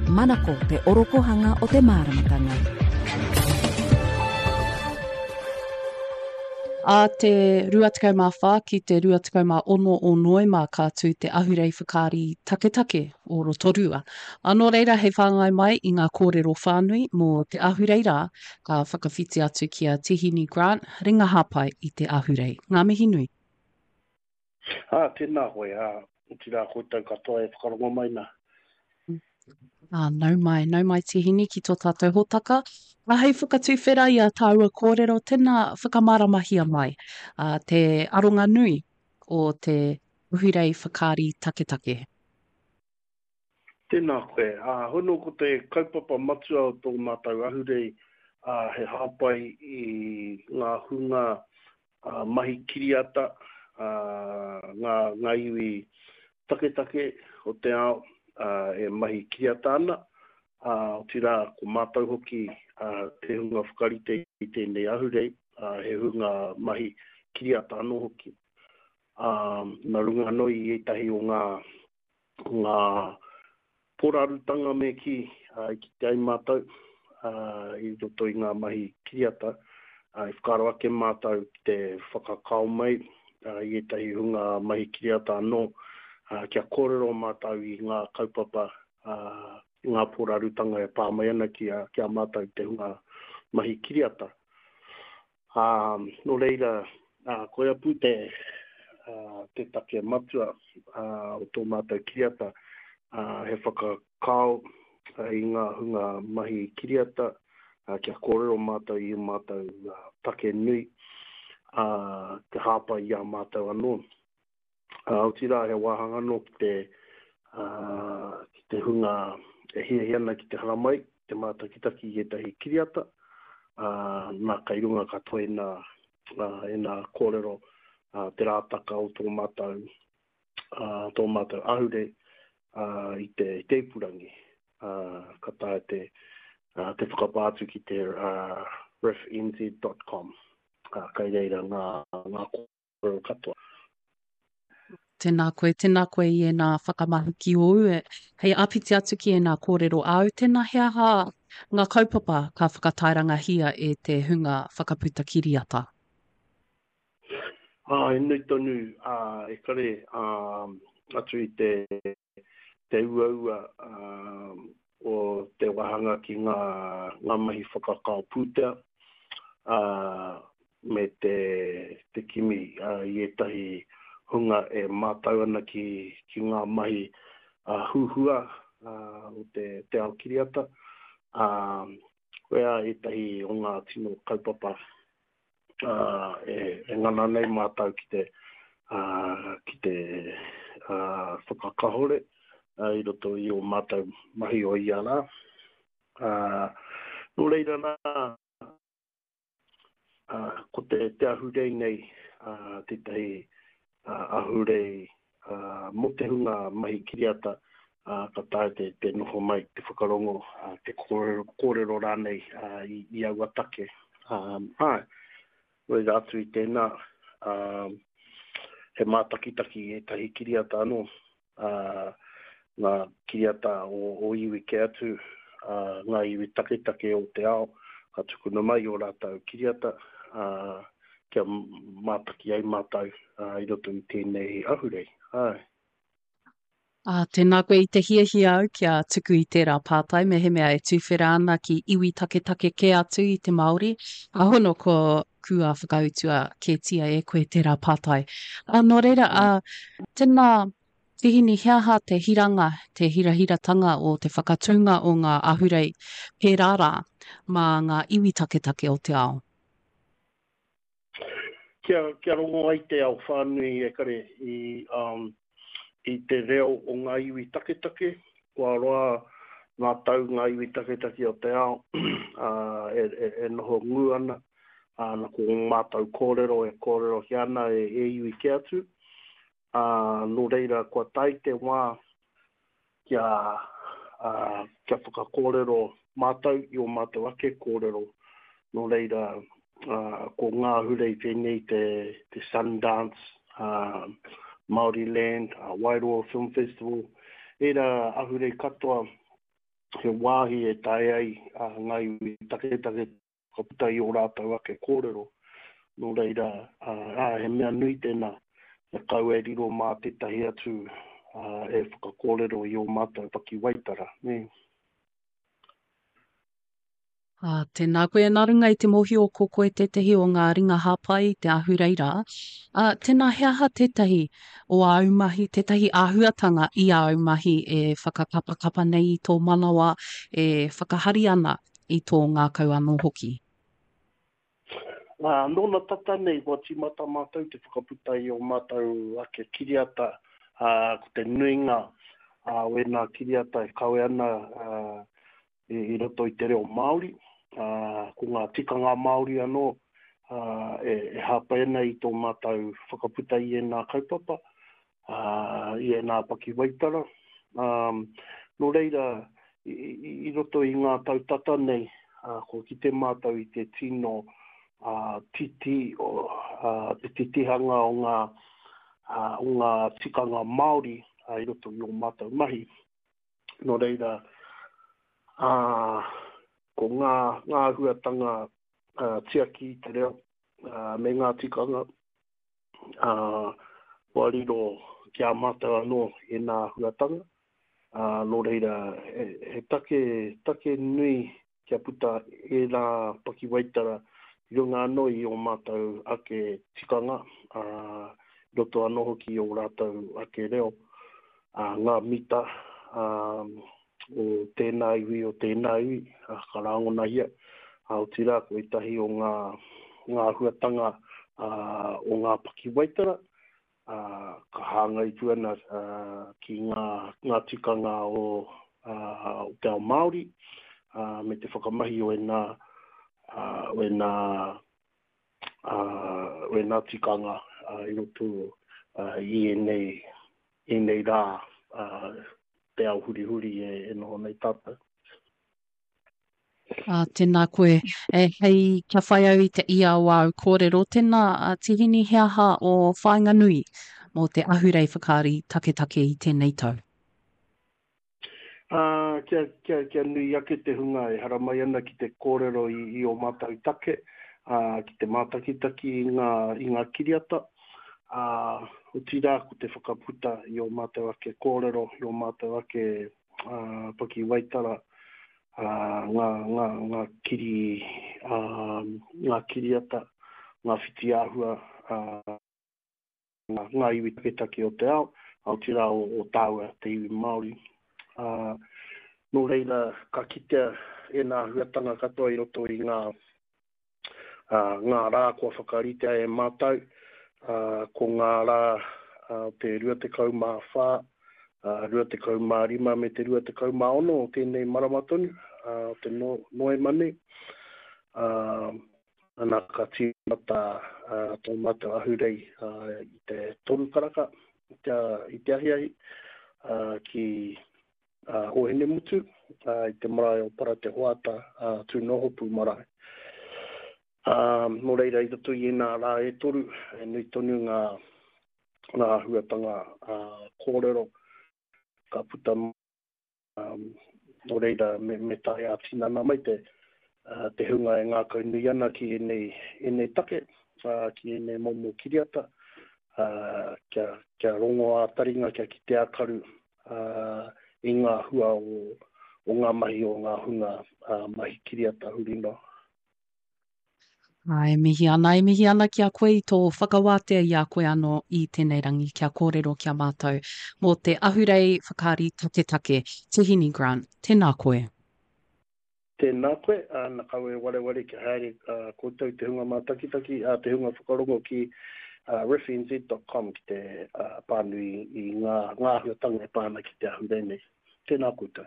Manako te orokohanga o te māramatanga. Ā te 24 ki te 26 o Noema ka tū te ahurei whakaari taketake o Rotorua. Ā, nō reira hei whāngai mai i ngā kōrero whānui mō te ahurei rā, ka whakawhiti atu ki a Tihini Grant, ringa hāpai i te ahurei. Ngā mihi nui. Ā, tēnā koe, ā, otirā koutou katoa e whakarongo mai nā. Ā, nau mai, nau mai Tihini ki tō tātou hōtaka. Ā, hei whakatuwhera i ā tāua kōrero, tēnā whakamāramahia mai, ā, te aronga nui o te Ahurei Whakaari Taketake. Tēnā koe. Ā, hono ko te kaupapa matua o tō mātou ahurei, ā, he hāpai i ngā hunga mahi kiriata, ā, ngā, ngā iwi taketake o te ao, ā, e mahi kiriata ana, ā, otirā, ko mātou hoki, ā, te hunga whakarite i tēnei ahurei, ā, he hunga mahi kiriata anō hoki. Ā, nā runga anō i ētahi o ngā ngā porarutanga me kī, i kite ai mātou i roto i ngā mahi kiriata, i whakaaro ake mātou ki te whakakao mai i ētahi hunga mahi kiriata anō, kia kōrero mātou i ngā kaupapa, i ngā porarutanga e pā mai ana ki a mātou te hunga mahi kiriata. Ā, nō reira, ā, koia pū te, ā, te take matua, ā, o tō mātou kiriata, ā, he whakakao i ngā hunga mahi kiriata, ā, kia kōrero mātou i ū mātou take nui, ā, te hāpai i a mātou anō. Ā, otirā he wāhanga anō ki te, ā, ki te hunga e hiahia ana ki te haramai, te mātakitaki i ētahi kiriata, ā, nā kei runga katoa ēnā, ā, ēnā kōrero, ā, te rātaka o tō mātou, ā, tō mātou ahurei, ā, i te, i te ipurangi. Ā, ka taea te, ā, te whakapā atu ki te, ā, riffnz.com, ā, kei reira ngā, ngā kōrero katoa. Tēnā koe, tēnā koe i ēnā whakamahuki ōu. E, hei āpiti atu ki ēnā kōrero āu, tēnā he aha ngā kaupapa ka whakatairangahia e te hunga whakaputa kiriata? Ā, he nui tonu, ā, e kare, ā, atu i te te uaua o te wāhanga ki ngā, ngā mahi whakakao pūtea, ā, me te, te kimi i ētahi hunga e mātau ana ki, ki ngā mahi huhua o te, te ao kiriata, ā, koia ētahi o ngā tino kaupapa ā, e, e ngana nei mātou ki te, ā, ki te, ā, whakakahore, ā, i roto i ō mātou mahi o ia rā. Ā, nō reira rā, ā, ko te, te ahurei nei, ā, tētahi, ā, ahurei, ā, mō te hunga mahi kiriata, ā, ka taea te, te noho mai, te whakarongo, ā, te kōrero, kōrero rānei, ā, i, i aua take. Ā, āe, nō reira atu i tēnā, ā, he mātakitaki i ētahi kiriata anō, ā, ngā kiriata o, o iwi kē atu, ā, ngā iwi taketake o te ao, ka tukuna mai ō rātou kiriata, ā, kia mātaki ai mātou, ā, i roto i tēnei ahurei. Āe. Ā, tēnā koe i te hiahia au kia tuku i tērā pātai mehemea e tuwhera ana ki iwi taketake kē atu i te Māori. Ā, hono ko kua whakautua kētia e koe tērā pātai. Ā, nō reira, ā, tēnā, Tihini, he aha te hiranga, te hirahiratanga o te whakatūnga o ngā ahurei pērā rā mā ngā iwi taketake o te ao? Kia, kia rongo ai te ao whānui e kare i, um, i te reo o ngā iwi taketake, kua roa ngā tau ngā iwi taketake o te ao, ā, e, e, e noho ngū ana, ā, na ko ō mātou kōrero e kōrerohia ana e, e iwi kē atu, ā, nō reira kua tae te wā kia, ā, kia whakakōrero mātou i ō mātou ake kōrero. Nō reira, ā, ko ngā ahurei pēnei te, te Sundance, ā, Māoriland, ā, Wairoa Film Festival, ērā ahurei katoa. He wāhi e taea ai ngā iwi taketake te whakaputa i ō rātou ake kōrero. Nō reira, ā, he mea nui tēnā, kia kaua e riro mā tētahi atu e whakakōrero i ō mātou pakiwaitara, nē. Ā, tēnā koe, nā runga i te mōhio ko koe tētahi o ngā ringa hāpai i te ahurei rā, ā, tēnā he aha tētahi o āu mahi, tētahi āhuatanga i āu mahi e whakakapakapa nei i tō manawa, e whakahari ana i tō ngākau anō hoki? Ā, nōna tata nei kua tīmata mātou te whakaputa i ō mātou ake kiriata, ā, ko te nuinga o ēnā kiriata e kawe ana, ā, i roto i te reo Māori, ā, ko ngā tikanga Māori anō e hāpai ana i tō mātou whakaputa i ēnā kaupapa, ā, i ēnā pakiwaitara. Ā, nō reira, i roto i ngā tau tata nei, ā, kua kite mātou i te tino titi, ā, te titihanga o ngā, ā, o ngā tikanga Māori i roto i ō mātou mahi. Nō reira, ā, ko ngā, ngā āhuatanga tiaki i te reo, ā, me ngā tikanga, ā, kua riro ki a mātou anō ēnā āhuatanga. Ā, nō reira, he, he take, take nui kia puta ērā pakiwaitara i runga anō i ō mātou ake tikanga, ā, i roto anō hoki i ō rātou ake reo, ā, ngā mita, ā, o tēnā iwi, o tēnā iwi, ā, ka rāngonahia, ā, otirā ko ētahi o ngā, ngā āhuatanga, ā, o ngā pakiwaitara, ā, ka hāngai pū ana ki ngā, ngā tikanga o, ā, o te ao Māori, ā, me te whakamahi o ēnā, ā, o ēnā, ā, o ēnā tikanga, ā, i roto, ā, i ēnei, ēnei rā, ā, te ao hurihuri e, e noho nei tātou. Ā, tēnā koe. E, hei, kia whai au i te ia o āu kōrero, tēnā, a Tihini, he aha ō whāinga nui mō te ahurei whakaari taketake i tēnei tau? Ā, kia, kia, kia nui ake te hunga e haramai ana ki te kōrero i, i ō mātou take, ā, ki te mātakitaki i ngā, i ngā kiriata, ā, otirā ko te whakaputa i ō mātou ake kōrero, i ō mātou ake ā, pakiwaitara, ā, ngā, ngā, ngā kiri, ā, ngā kiriata, ngā whitiāhua, ā, ngā, ngā iwi taketake o te ao, otirā o, o tāua, te iwi Māori. Ā, nō reira, ka kitea ēnā āhuatanga katoa i roto i ngā, ā, ngā rā kua whakaritea e mātou, ā, ko ngā rā o te 24, ā, 25 me te 26 o tēnei marama tonu, ā, o te no, Noema nei. Ā, ana ka tīmata ā, tō mātou ahurei ā, i te toru karaka i te, i te ahiahi, ā, ki ā, Ōhinemutu, ā, i te marae o Paratehoata, ā, Tūnohopu marae. Ā, nō reira, i roto i ēnā rā e toru, e nui tonu ngā, ngā āhuatanga, ā, kōrero ka puta mai, ā, nō reira, me, me tae ā-tinana mai te, ā, te hunga e ngākaunui ana ki ēnei, ēnei take, ā, ki ēnei momo kiriata, ā, kia, kia rongo ā-taringa, kia kite ā-karu, i ngā hua o, o ngā mahi o ngā hunga mahi kiriata huri noa. Ā, e mihi ana, e mihi ana ki a koe i tō whakawātea i a koe anō i tēnei rangi kia kōrero ki a mātou mō te ahurei whakaari taketake, Tihini Grant. Tēnā koe. Tēnā koe, ā, na kaua e wareware kia haere koutou te hunga mātakitaki, ā, te hunga whakarongo ki riffnz.com ki te pānui i ngā, ngā āhuatanga e pā ana ki te ahurei nei. Tēnā koutou.